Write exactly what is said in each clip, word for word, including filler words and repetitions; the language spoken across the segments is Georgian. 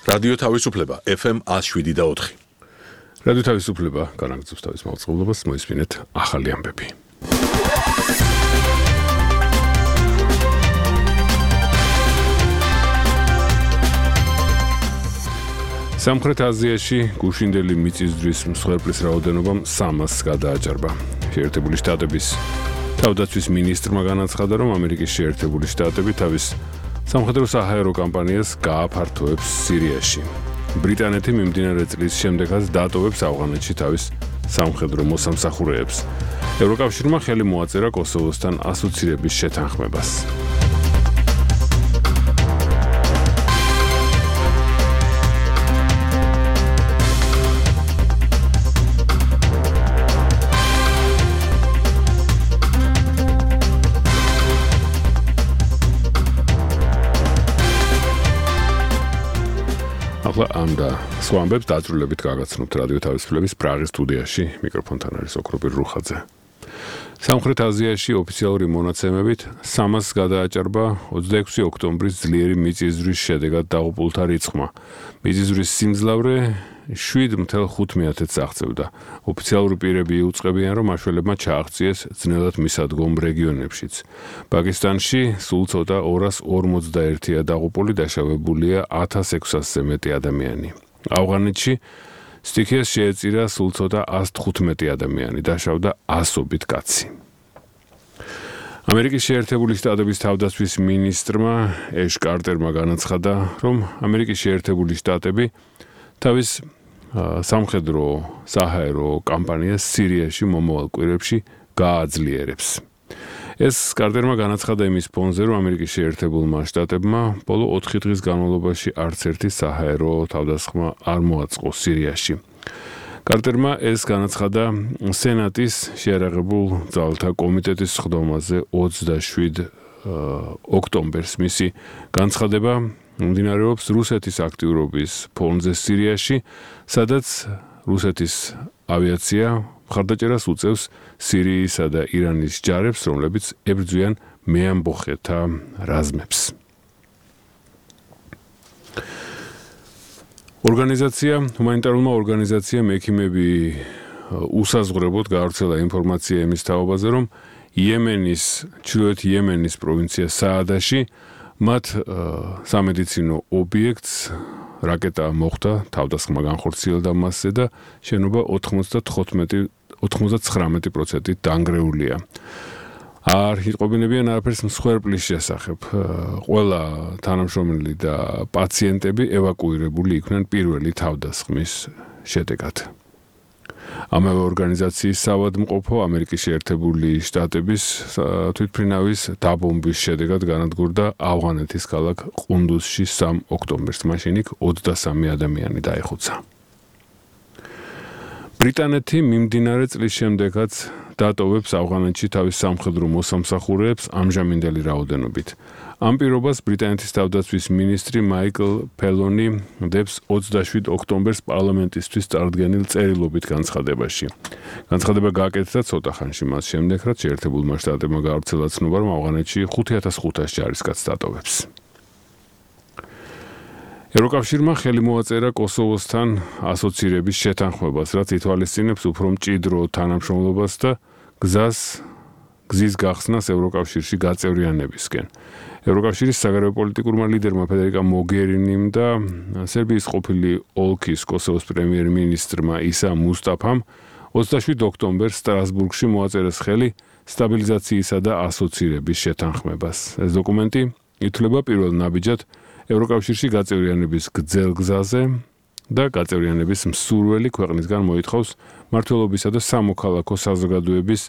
რადიო თავისუფლება F M one oh seven და ოთხი. რადიო თავისუფლება განაგრძობს თავის მაუწყებლობას, მოისმინეთ ახალი ამბები. სამხრეთ აზიაში გუშინდელი მიწისძვრის მსხვერპლის რაოდენობა სამას გადააჭარბა. შეერთებული შტატების თავდაცვის მინისტრმა განაცხადა, რომ ამერიკის შეერთებული შტატები თავის სამხედრო საჰაერო კამპანიას გააფართოებს სირიაში. ბრიტანეთი მიმდინარე წლის შემდეგაც დატოვებს ავღანეთში თავის სამხედრო მოსამსახურეებს. ევროკავშირმა ხელი მოაწერა კოსოვოსთან ასოცირების შეთანხმებას. ახლა ამ და სხვა ამბებს დაწვრილებით გაგაცნობთ რადიო თავისუფლების პრაღის სტუდიაში. მიკროფონთან არის ოქროპირ რუხაძე. სამხრეთ აზიაში ოფიციალური მონაცემებით სამას გადააჭარბა ოცდაექვსი ოქტომბრის ძლიერი მიწისძვრის შედეგად დაღუპულთა რიცხვმა. მიწისძვრის სიმძლავრე შვიდ მთელ ხუთ მეათედს აღწევდა. ოფიციალური პირები იუწყებიან, რომ მაშველებმა ჩააღწიეს ძნელად მისადგომ რეგიონებშიც. პაკისტანში სულ ცოტა ორას ორმოცდაერთია დაღუპული, დაშავებულია ათას ექვსასზე მეტი ადამიანი. ავღანეთში სტიქიას შეეწირა სულ ცოტა ასი თხუთმეტი ადამიანი, დაშავდა ასობით კაცი. ამერიკის შეერთებული შტატების თავდაცვის მინისტრმა ეშ კარტერმა განაცხადა, რომ ამერიკის შეერთებული შტატები თავის სამხედრო საჰაერო კამპანიას სირიაში მომავალ კვირებში გააძლიერებს. ეს კარტერმა განაცხადა იმის ფონზე, რომ ამერიკის შეერთებულმა შტატებმა ბოლო ოთხი დღის განმავლობაში არც ერთი საჰაერო თავდასხმა არ მოაწყო სირიაში. კარტერმა ეს განაცხადა სენატის შეიარაღებულ ძალთა კომიტეტის სხდომაზე ოცდაშვიდ ოქტომბერს. მისი განცხადება მიმდინარეობს რუსეთის აქტიურობის ფონზე სირიაში, სადაც რუსეთის ავიაცია მხარდაჭერას უწევს სირიისა და ირანის ჯარებს, რომლებიც ებრძვიან მეამბოხეთა რაზმებს. ორგანიზაცია, ჰუმანიტარულმა ორგანიზაციამ ექიმები უსაზღვრებოდ გაავრცელა ინფორმაცია იმის თაობაზე, რომ იემენის, ჩრდილოეთ იემენის პროვინცია საადაში მათ სამედიცინო ობიექტს რაკეტა მოხვდა, თავდასხმა განხორციელდა მასზე და შენობა ოცდათხმეტი პროცენტით დანგრეულია. არ იტყობინებიან არაფერს მსხვერპლის შესახებ. ყველა თანამშრომელი და პაციენტები ევაკუირებული იქნენ პირველი თავდასხმის შედეგად. ამავე ორგანიზაციის საავადმყოფო ამერიკის შეერთებული შტატების თვითმფრინავის დაბომბვის შედეგად განადგურდა ავღანეთის ქალაქ ყუნდუსში სამი ოქტომბერს. მაშინ იქ ოცდასამი ადამიანი დაიხოცა. ბრიტანეთი მიმდინარე წლის შემდეგაც დატოვებს ავღანეთში თავის სამხედრო მოსამსახურეებს ამჟამინდელი რაოდენობით. ამ პირობას ბრიტანეთის თავდაცვის მინისტრი მაიკლ ფელონი დებს ოცდაშვიდ ოქტომბერს პარლამენტისთვის წარდგენილ წერილობით განცხადებაში. განცხადება გააკეთა ცოტა ხანში მას შემდეგ, რაც შეერთებულმა შტატებმა გაავრცელა ცნობა, რომ ავღანეთში ხუთი ათას ხუთას ჯარისკაცს დატოვებს. ევროკავშირმა ხელი მოაწერა კოსოვოსთან ასოცირების შეთანხმებას, რაც ითვალისწინებს უფრო მჭიდრო თანამშრომლობას და გზას გზის გახსნას ევროკავშირში გაწევრიანებისკენ. ევროკავშირის საგარეო პოლიტიკურმა ლიდერმა ფედერიკა მოგერინიმ და სერბიის ყოფილი ოლქის კოსოვოს პრემიერ-მინისტრმა ისა მუსტაფამ ოცდაშვიდ ოქტომბერს სტრასბურგში მოაწერეს ხელი სტაბილიზაციისა და ასოცირების შეთანხმებას. ეს დოკუმენტი ითვლება პირველ ნაბიჯად ევროკავშირში გაწევრიანების გრძელ გზაზე და გაწევრიანების მსურველი ქვეყნისგან მოითხოვს მმართველობისა და სამოქალაქო საზოგადოების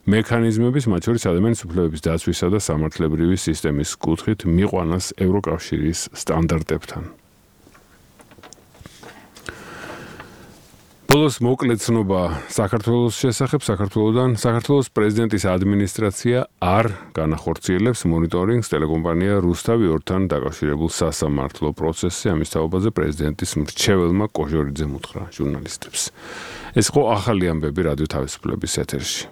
მექანიზმების, მათ შორის ადამიანის უფლებების დაცვისა და სამართლებრივი სისტემის კუთხით მიყვანას ევროკავშირის სტანდარტებთან. ბოლოს მოკლე ცნობა საქართველოს შესახებ. საქართველოდან საქართველოს პრეზიდენტის ადმინისტრაცია არ განახორციელებს მონიტორინგს ტელეკომპანია რუსთავი ორთან დაკავშირებულ სასამართლო პროცესზე. ამის თაობაზე პრეზიდენტის მრჩეველმა კოჟორიძემ უთხრა ჟურნალისტებს. ეს იყო ახალი ამბები რადიო თავისუფლების ეთერში.